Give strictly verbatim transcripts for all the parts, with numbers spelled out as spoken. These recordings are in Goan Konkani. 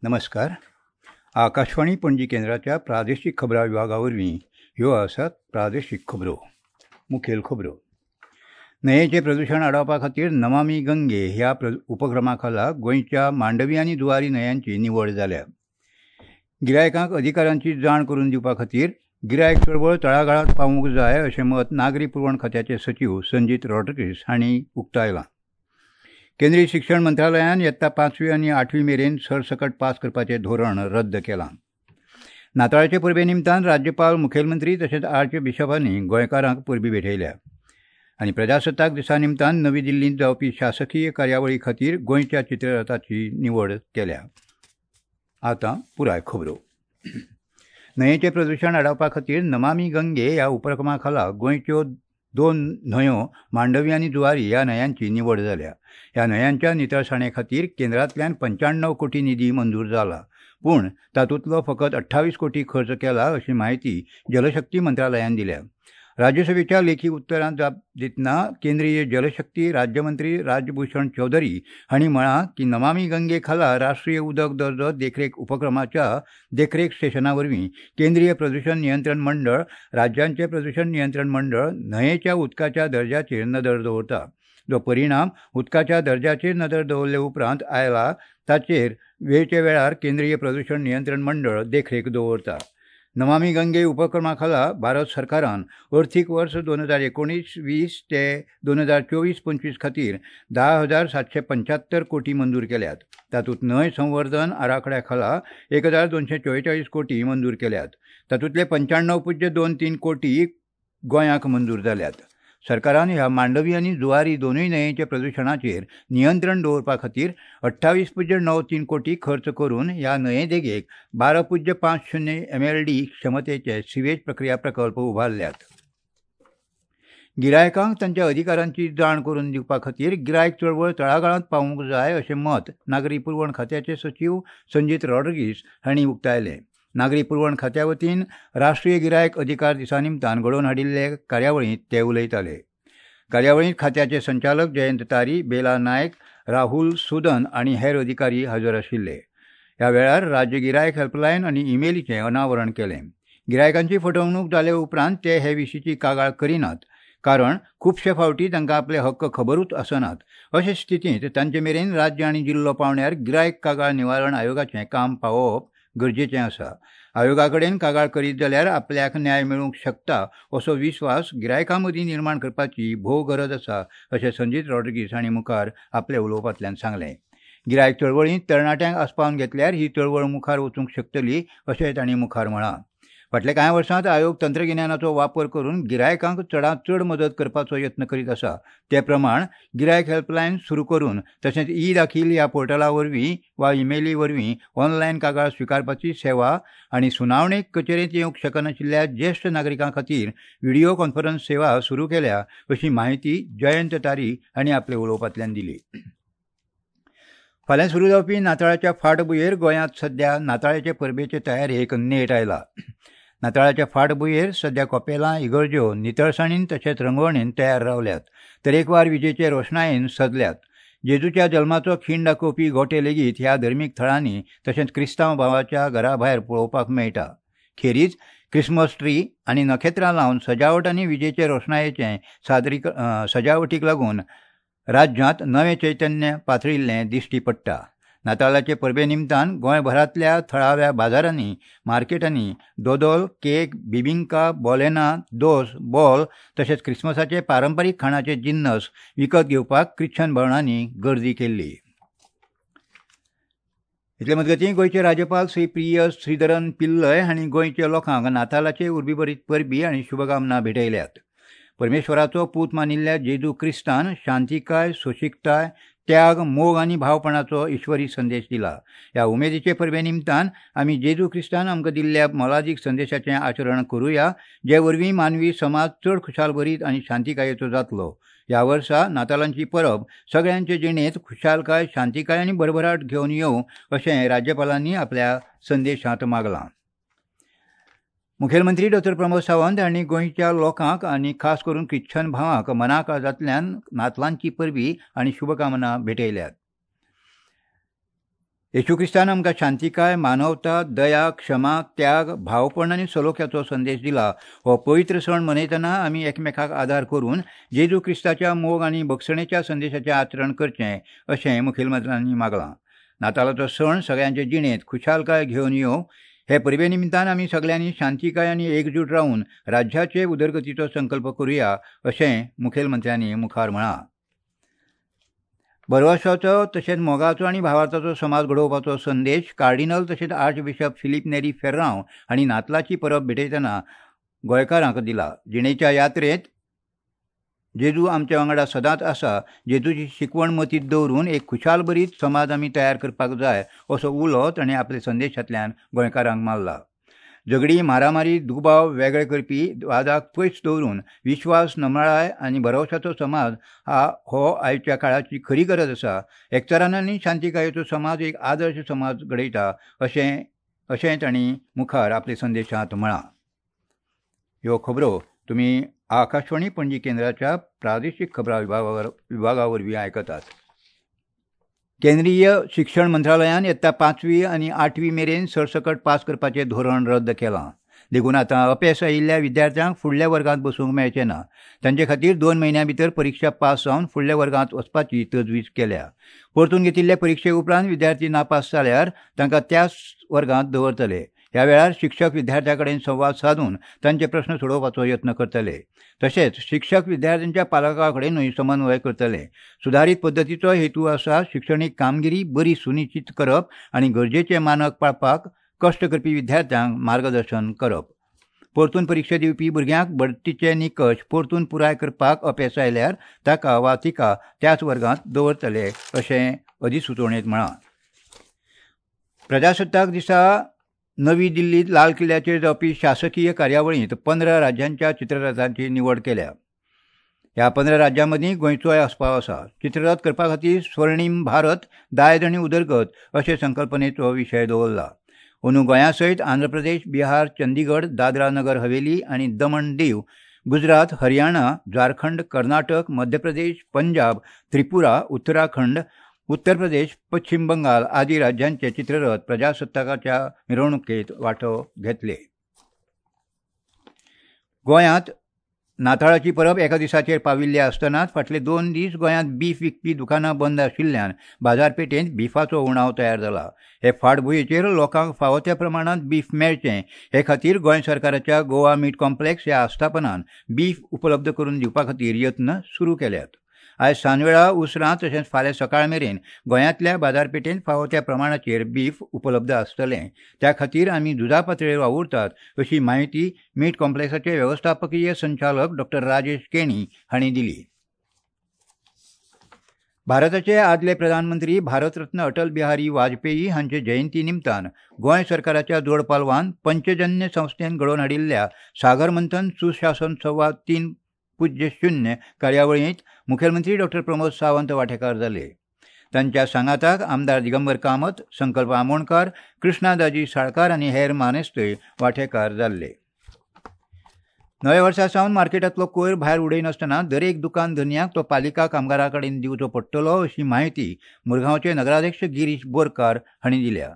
नमस्कार. आकाशवाणी पणजी केंद्राच्या प्रादेशीक खबरां विभागा वरवीं ह्यो आसात प्रादेशीक खबरो. मुखेल खबरो. न्हंयेचें प्रदुशण आडावपा खातीर नमामी गंगे ह्या उपक्रमा खाला गोंयच्या मांडवी आनी जुवारी न्हंयांची निवड जाल्या. गिरायकांक अधिकारांची जाण करून दिवपा खातीर गिरायक चळवळ तळागाळांत पावूंक जाय अशें मत नागरी पुरवण खात्याचे सचीव संजीत रॉड्रिगीस हांणी उक्तायलां. केंद्रीय शिक्षण मंत्रालयान यत्ता पांचवी आनी आठवी मेरेन सरसकट पास करपाचें धोरण रद्द केलां. नाताळाचे परबे निमतान राज्यपाल, मुखेलमंत्री तशेंच आर्च बिशपांनी गोंयकारांक परबी भेटयल्या. आनी प्रजासत्ताक दिसा निमतान नवी दिल्लींत जावपी शासकीय कार्यावळी खातीर गोंयच्या चित्ररथाची निवड केल्या. आतां पुराय खबरो. न्हंयेचें प्रदुशण आडावपा खातीर नमामी गंगे ह्या उपक्रमा खाला गोंयच्यो दोन न्हंयो मांडवी आनी जुवारी ह्या न्हंयांची निवड जाल्या. ह्या न्हंयांच्या नितळसाणे खातीर केंद्रांतल्यान पंच्याण्णव कोटी निधी मंजूर जाला, पूण तातूंतलो फकत अठ्ठावीस कोटी खर्च केला अशी म्हायती जलशक्ती मंत्रालयान दिल्या. राज्यसभेच्या लेखी उत्तरांत जाप दितना केंद्रीय जलशक्ती राज्यमंत्री राजभूषण चौधरी हांणी म्हळां की नमामी गंगे खाला राष्ट्रीय उदक दर्जो देखरेख उपक्रमाच्या देखरेख स्टेशना वरवीं केंद्रीय प्रदुशण नियंत्रण मंडळ, राज्यांचे प्रदुशण नियंत्रण मंडळ न्हंयेच्या उदकाच्या दर्जाचेर नदर दवरता. जो परिणाम उदकाच्या दर्जाचेर नदर दवरले उपरांत आयला ताचेर वेळचे वेळार केंद्रीय प्रदुशण नियंत्रण मंडळ देखरेख दवरता. नमामी गंगे उपक्रमा खाला भारत सरकारान अर्थीक वर्स दोन हजार एकोणीस वीस ते दोन हजार चोवीस पंचवीस खातीर धा हजार सातशे पंच्यात्तर कोटी मंजूर केल्यात. तातूंत न्हंय संवर्धन आराखड्या खाला एक हजार दोनशे चोवेचाळीस कोटी मंजूर केल्यात. तातूंतले पंच्याण्णव पुज्य दोन तीन कोटी गोंयाक मंजूर जाल्यात. सरकारान ह्या मांडवी आनी जुवारी दोनूय न्हंयेच्या प्रदुशणाचेर नियंत्रण दवरपा खातीर अठ्ठावीस पुज्य णव तीन कोटी खर्च करून ह्या न्हंये देगेक बारा पुज्य पांच शुन्य एम एल डी क्षमतेचे सिवेज प्रक्रिया प्रकल्प उबारल्यात. गिरायकांक तांच्या अधिकारांची जाण करून दिवपा खातीर गिरायक चळवळ तळागाळांत पावूंक जाय अशें मत नागरी पुरवण खात्याचे सचीव संजीत रॉड्रिगीस हांणी उक्तायलें. नागरी पुरवण खात्या वतीन राष्ट्रीय गिरायक अधिकार दिसा निमतान घडोवन हाडिल्ले कार्यावळींत ते उलयताले. कार्यावळींत खात्याचे संचालक जयंत तारी, बेला नायक, राहुल सुदन आनी हेर अधिकारी हजर आशिल्ले. ह्या वेळार राज्य गिरायक हेल्पलायन आनी इमेलीचें अनावरण केलें. गिरायकांची फटवणूक जाले उपरांत ते हे विशींची कागाळ करिनात, कारण खुबशे फावटी तांकां आपले हक्क खबरूच आसनात. अशे स्थितींत तांचे मेरेन राज्य आनी जिल्लो पांवड्यार गिरायक कागाळ निवारण आयोगाचें काम पावोवप गरजेचें आसा. आयोगा कडेन कागाळ करीत जाल्यार आपल्याक न्याय मेळूंक शकता असो विस्वास गिरायकां मदीं निर्माण करपाची भोव गरज आसा अशें संजीत रॉड्रिगीस हांणी मुखार आपल्या उलोवपांतल्यान सांगलें. गिरायक चळवळींत तरणाट्यांक आस्पावन घेतल्यार ही चळवळ मुखार वचूंक शकतली अशें तांणी मुखार म्हळां. फाटल्या कांय वर्सांत आयोग तंत्रगिन्यानाचो वापर करून गिरायकांक चडांत चड मदत करपाचो यत्न करीत आसा. ते प्रमाण गिरायक हेल्पलायन सुरू करून तशेंच ई दाखील ह्या पोर्टला वरवीं वा इमेली वरवीं ऑनलायन कागाळ स्विकारपाची सेवा आनी सुनावणेक कचेरेंत येवंक शकनाशिल्ल्या ज्येश्ठ नागरिकां खातीर व्हिडिओ कॉन्फरन्स सेवा सुरू केल्या अशी म्हायती जयंत तारी हांणी आपल्या उलोवपांतल्यान दिली. फाल्यां सुरू जावपी नाताळाच्या फाटभुंयेर गोंयांत सध्या नाताळाचे परबेचे तयारेक नेट आयला. नाताळाच्या फाटभुंयेर सध्या कपेलां, इगर्ज्यो नितळसाणीन तशेंच रंगवणेन तयार रावल्यात. तरेकवार विजेचे रोशणायेन सजल्यात. जेजूच्या जल्माचो खीण दाखोवपी गोटे लेगीत ह्या धर्मीक थळांनी तशेंच क्रिस्तांव भावाच्या घरा भायर पळोवपाक मेळटा. खेरीज क्रिसमस ट्री आनी नखेत्रां लावन सजावट आनी विजेचे रोशणायेचें सादरी सजावटीक लागून राज्यांत नवें चैतन्य पातळिल्लें दिश्टी पडटा. नातालाचे परबे निमतान गोंयभरांतल्या थळाव्या बाजारांनी, मार्केटांनी दोदोल, केक, बिबिंका, बोलेना, दोस, बॉल तशेंच क्रिसमसाचे पारंपारीक खाणाचे जिन्नस विकत घेवपाक ख्रिश्चन भवनांनी गर्दी केल्ली. इतले मजगतीं गोंयचे राज्यपाल श्री प्रिय श्रीधरन पिल्लय हांणी गोंयच्या लोकांक नातालाचे उर्बीभरीत परबी आनी शुभकामना भेटयल्यात. परमेश्वराचो पूत मानिल्ल्या जेजू क्रिस्तान शांतिकाय, सोंशिकताय, त्याग, मोग आनी भावपणाचो ईश्वरी संदेश दिला. ह्या उमेदीचे परबे निमतान आमी जेजू क्रिस्तान आमकां दिल्ल्या मोलादीक संदेशाचें आचरण करुया, जे वरवीं मानवी समाज चड खुशालभरीत आनी शांतिकायेचो जातलो. ह्या वर्सा नातालांची परब सगळ्यांचे जिणेंत खुशालकाय, शांतिकाय आनी भरभराट घेवन येवं अशें राज्यपालांनी आपल्या संदेशांत मागलां. मुखेलमंत्री डॉक्टर प्रमोद सावंत हांणी गोंयच्या लोकांक आनी खास करून ख्रिश्चन भावांक मनाकाळजांतल्यान नातलांची परबी आनी शुभकामना भेटयल्यात. येशू क्रिस्तान आमकां शांतिकाय, मानवता, दया, क्षमा, त्याग, भावपण आनी सलोख्याचो संदेश दिला. हो पवित्र सण मनयतना आमी एकमेकाक आदार करून जेजू क्रिस्ताच्या मोग आनी बक्षणेच्या संदेशाचें आचरण करचें अशें मुखेलमंत्र्यांनी मागलां. नातालाचो सण सगळ्यांचे जिणेंत खुशालकाय घेवन येवं हे परबे निमतान आमी सगल्यांनी शांतिकाय आनी एकजूट रावन राज्याचे उदरगतीचो संकल्प करुया अशें मुखेलमंत्र्यांनी मुखार म्हळां. भरवशाचो तशेंच मोगाचो आनी भावार्थाचो समाज घडोवपाचो संदेश कार्डिनल तशेंच आर्चबिशप फिलीप नेरी फेर्रांव हांणी नातलाची परब भेटयतना गोंयकारांक दिला. जिणेच्या यात्रेंत जेजू आमच्या वांगडा सदांच आसा. जेजूची शिकवण मतींत दवरून एक खुशालभरीत समाज आमी तयार करपाक जाय असो उलो ताणें आपल्या संदेशांतल्यान गोंयकारांक मारला. झगडी, मारामारी, दुबाव वेगळे करपी वादाक पयस दवरून विश्वास, नमळाय आनी भरवशाचो समाज हा हो आयच्या काळाची खरी गरज आसा. एकचारान आनी शांतिकायेचो समाज एक आदर्श समाज घडयता अशें अशें तांणी मुखार आपल्या संदेशांत म्हळां. ह्यो खबरो तुमी आकाशवाणी पणजी केंद्राच्या प्रादेशीक खबरां विभागा विभागा वरवीं आयकतात. केंद्रीय शिक्षण मंत्रालयान यत्ता पांचवी आनी आठवी मेरेन सरसकट पास करपाचें धोरण रद्द केलां. देखून आतां अपेस आयिल्ल्या विद्यार्थ्यांक फुडल्या वर्गांत बसूंक मेळचें ना. तांचे खातीर दोन म्हयन्यां भितर परिक्षा पास जावन फुडल्या वर्गांत वचपाची तजवीज केल्या. परतून घेतिल्ले परिक्षे उपरांत विद्यार्थी नापास जाल्यार तांकां त्याच वर्गांत दवरतले. ह्या वेळार शिक्षक विद्यार्थ्यां कडेन संवाद सादून तांचे प्रस्न सोडोवपाचो यत्न करतले. तशेंच शिक्षक विद्यार्थ्यांच्या पालकां कडेनूय समन्वय करतले. सुदारीत पद्दतीचो हेतू आसा शिक्षणीक कामगिरी बरी सुनिश्चित करप आनी गरजेचे मानक पाळपाक कश्ट करपी विद्यार्थ्यांक मार्गदर्शन करप. परतून परिक्षा दिवपी भुरग्यांक बढतीचे निकश परतून पुराय करपाक अपेस आयल्यार ताका वा तिका त्याच वर्गांत दवरतले अशें अधिसुचोवणेंत म्हळां. प्रजासत्ताक दिसा नवी दिल्लीत लाल किल्ल्याचेर जावपी शासकीय कार्यावळींत पंदरा राज्यांच्या चित्ररथांची निवड केल्या. ह्या पंदरा राज्यां मदीं गोंयचोय आस्पाव आसा. चित्ररथ करपा खातीर स्वर्णीम भारत, दायज आनी उदरगत अशे संकल्पनेचो विशय दवरला. अंदू गोंया सयत आंध्र प्रदेश, बिहार, चंदीगड, दादरा नगर हवेली आनी दमण दीव, गुजरात, हरियाणा, झारखंड, कर्नाटक, मध्य प्रदेश, पंजाब, त्रिपुरा, उत्तराखंड, उत्तर प्रदेश, पश्चिम बंगाल आदी राज्यांचे चित्ररथ प्रजासत्ताकाच्या मिरवणुकेत वांटो घेतले. गोंयांत नाताळाची परब एका दिसाचेर पाविल्ली आसतनाच फाटले दोन दीस गोंयांत बीफ विकपी दुकानां बंद आशिल्ल्यान बाजारपेठेंत बिफाचो उणाव तयार जाला. हे फाटभुंयेचेर लोकांक फावो त्या प्रमाणांत बीफ मेळचें हे खातीर गोंय सरकाराच्या गोवा मीट कॉम्प्लेक्स ह्या आस्थापनान बीफ उपलब्ध करून दिवपा खातीर यत्न सुरू केल्यात. आयज सांजवेळा उसरां तशेंच फाल्यां सकाळ मेरेन गोंयांतल्या बाजारपेठेंत फावो त्या प्रमाणाचेर बीफ उपलब्ध आसतलें. त्या खातीर आमी झुजा पातळेर वावुरतात अशी म्हायती मीट कॉम्प्लेक्साचे वेवस्थापकीय संचालक डॉक्टर राजेश केणी हांणी दिली. भारताचे आदले प्रधानमंत्री भारतरत्न अटल बिहारी वाजपेयी हांचे जयंती निमतान गोंय सरकाराच्या जोडपालवान पंचजन्य संस्थेन घडोवन हाडिल्ल्या सागर मंथन सुशासन संवाद तीन पूज्य शून्य कार्यावळींत मुखेलमंत्री डॉक्टर प्रमोद सावंत वांटेकार जाले. तांच्या सांगाताक आमदार दिगंबर कामत, संकल्प आमोणकार, कृष्णा दाजी साळकार आनी हेर मानेस्तय वांटेकार जाल्ले. नव्या वर्सा सावन मार्केटांतलो कोयर भायर उडयनासतना दरेक दुकान धनयाक तो पालिका कामगारां कडेन दिवचो पडटलो अशी म्हायती मुरगांवचे नगराध्यक्ष गिरीश बोरकार हांणी दिल्या.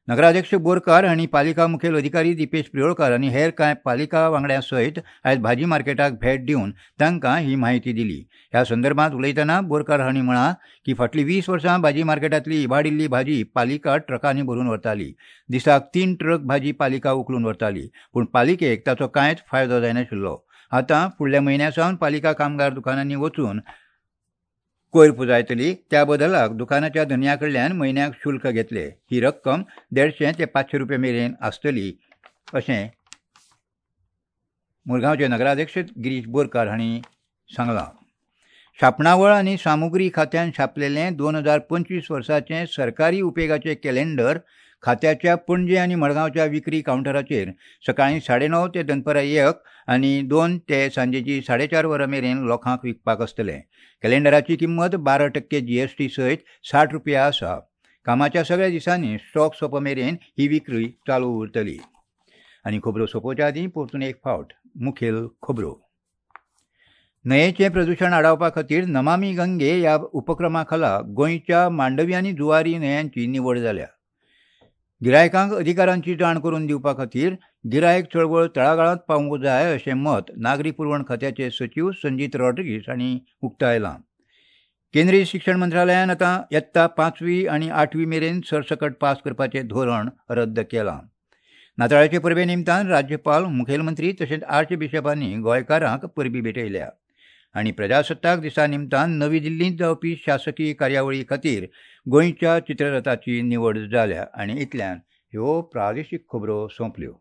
नगराध्यक्ष बोरकार हांणी पालिका मुखेल अधिकारी दीपेश प्रियोळकार आनी हेर कांय पालिका वांगड्यां सयत आयज भाजी मार्केटाक भेट दिवन तांकां ही म्हायती दिली. ह्या संदर्भात उलयतना बोरकार हांणी म्हळां की फाटलीं वीस वर्सां भाजी मार्केटांतली इबाडिल्ली भाजी पालिका ट्रकांनी भरून व्हरताली. दिसाक तीन ट्रक भाजी पालिका उखलून व्हरताली, पूण पालिकेक ताचो कांयच फायदो जायनाशिल्लो. आतां फुडल्या म्हयन्या सावन पालिका कामगार दुकानांनी वचून कोयर पुजायतली. त्या बदलाक दुकानाच्या धनया कडल्यान म्हयन्याक शुल्क घेतले. ही रक्कम देडशें ते पांचशे रुपया मेरेन आसतली अशें मुरगांवचे नगराध्यक्ष गिरीश बोरकार हांणी सांगलां. छापणावळ आनी सामुग्री खात्यान छापलेलें दोन हजार पंचवीस वर्साचें सरकारी उपेगाचें कॅलेंडर खात्याच्या पणजे आनी मडगांवच्या विक्री कावंटराचेर सकाळीं साडे णव ते दनपरां एक आनी दोन ते सांजेची साडे चार वरां मेरेन लोकांक विकपाक आसतलें. कॅलेंडराची किंमत बारा टक्के जी एस टी सयत साठ रुपया आसा. कामाच्या सगळ्या दिसांनी स्टॉक सोंपा मेरेन ही विक्री चालू उरतली. आनी खबरो सोंपोवच्या आदीं परतून एक फावट मुखेल खबरो. न्हंयेचें प्रदूशण आडावपा खातीर नमामी गंगे ह्या उपक्रमा खाला गोंयच्या मांडवी आनी जुवारी न्हंयांची निवड जाल्या. गिरायकांक अधिकारांची जाण करून दिवपा खातीर गिरायक चळवळ तळागाळांत पावूंक जाय अशें मत नागरी पुरवण खात्याचे सचीव संजीत रॉड्रिगीस हांणी उक्तायलां. केंद्रीय शिक्षण मंत्रालयान आतां यत्ता पांचवी आनी आठवी मेरेन सरसकट पास करपाचें धोरण रद्द केलां. नाताळाचे परबे निमतान राज्यपाल, मुखेलमंत्री तशेंच आर्चबिशपांनी गोंयकारांक परबी भेटयल्या. आनी प्रजासत्ताक दिसा निमतान नवी दिल्लींत जावपी शासकीय कार्यावळी खातीर गोंयच्या चित्ररथाची निवड जाल्या. आनी इतल्यान ह्यो प्रादेशीक खबरो सोंपल्यो.